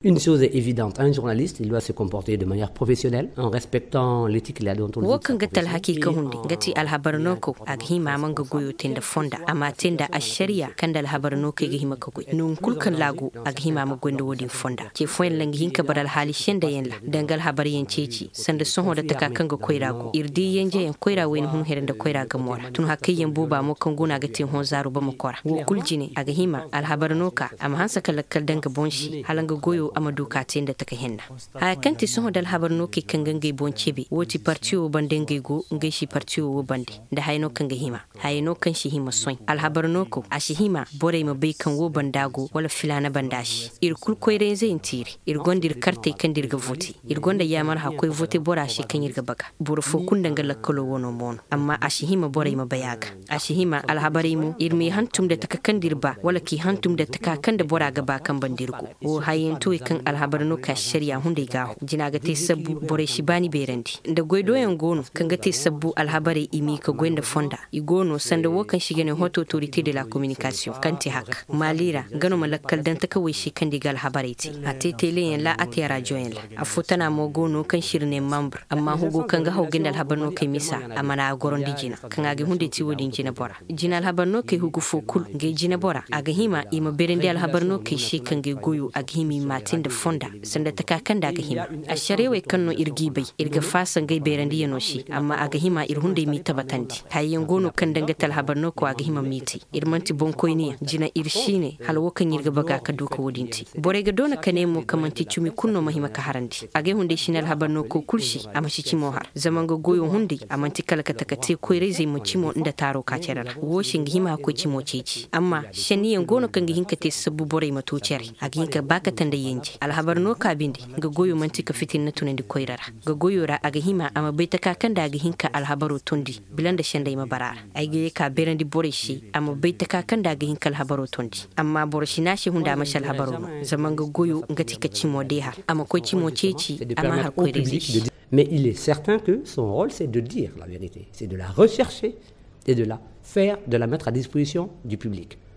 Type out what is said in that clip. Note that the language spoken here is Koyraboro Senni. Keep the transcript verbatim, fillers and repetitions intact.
Une chose est évidente, un journaliste il doit se comporter de manière professionnelle en respectant l'éthique et la déontologie. Wo kaŋ ga ti alhaki ka hundi nga ti alhabar no kaw a ga hima a ma nga goyo te nda fonda a ma te nda ašariya kaŋ nda alhabar no kaŋ i ga hima ka goy nangu kulu kaŋ laago a ga hima a ma goy nda wo-din fonda. Ce fooyaŋ ra nga hin ka bara alhaali senda yaŋ ra danga alhabar yaŋ ceeci sanda sohõ nda taka kaŋ ga koyra go ir di yanje yaŋ koyra wayna hun here nda koyra gamo ra tun hakay yaŋ booba mo kaŋ go no a ga te hõ zaaru ba ma kora wo kulu jine a ga hima alhabar no ka a ma hanse ka lakkal daŋ ga boŋ se hala nga goyo a ma du ka te nda taka henna. Haya kaŋ ti sohõ nda alhabar no kay kaŋ ga ngey boŋ cebe wo ti partiyo wo bande ngey go ngey si partiyo wo bande nda haya no kaŋ ga hima haya no kaŋ si hima soy alhabar no kaw a si hima borey ma bay kaŋ wo banda go wala filaana banda se ir kulu koyra-izey nti ir ir gonda ir kartey kaŋ nda ir ga vote ir gonda yaamar hakkoy vote bora se kaŋ ir ga baga boro fo kulu nda nga lakkalo wano mo no amma a si hima borey ma bay a ga a si hima alhabarey mo ir m'i hantum nda taka kaŋ nda ir ba wala k'i hantum nda taka kaŋ nda bora ga ba kaŋ banda ir go wo hayyantuwey kaŋ alhabar no ka ašariya hunday gaahu jina ga te sabbu borey si baani beerandi nda goydooyaŋ go no kaŋ ga te sabbu alhabarey i m'i ka goy nda fonda i go no sanda wo kaŋ se i ga ne hot autorité de la communication kaŋ te hak maali ra nga no ma lakkal daŋ takawey se kaŋ nda i ga alhabarey te a te teleyaŋ ra a te rajoyaŋ ra afo tana mo go no kaŋ se ir ne membre amma hugo kaŋ ga haw ga nda alhabar no kay misa a mana a gorandi jina kaŋ a ga hunday te wo-din jina bora jina alhabar no kay hugu fo kulu ngey jina bora a ga hima i ma beerandi alhabar no kay se kaŋ gay goyo a ga hima i ma te nda fonda sanda taka kaŋ nda a ga hima ašarewey kaŋ no ir g'i bay ir ga faasa ngey beerandiyano se amma a ga hima ir hunday m'i tabatandi hayey yaŋ go no kaŋ danga te alhabar no ko a ga hima m'i te ir man'ti boŋkoyniyaŋ jina ir si ne hala wo kaŋ ir ga baga ka du ka wo-din te borey ga doona ka ne mo kaŋ man'ti cimi kulu no ma hima ka harandi agay hunday si ne alhabar no ko kulu se a ma si cimo har zama nga goyo hunday a man'ti kala ka taka te koyra-izey ma cimo nda taaro ka cere ra wo se nga hima ka koy cimo ceeci amma šenniyaŋ go no kaŋ ga hin ka te sabbu borey ma to cere a ga hin ka ba ka tanda yenje alhabar no ka binde nga goyo man'ti ka fitinna tunandi koyra ra nga goyo ra a ga hima a ma bay taka kaŋ nda a ga hin ka alhabaro tondi bila nda sendey ma bara a ra ay ga ye ka beerandi borey se a ma bay taka kaŋ nda a ga hin ka alhabaro tondi amma boro si ne a se hunda a ma si alhabaro no zama nga goyo nga ti ka cimo de har a ma koy cimo ceeci a ma har koyra-izey se. Mais il est certain que son rôle c'est de dire la vérité, c'est de la rechercher et de la faire de la mettre à disposition du public.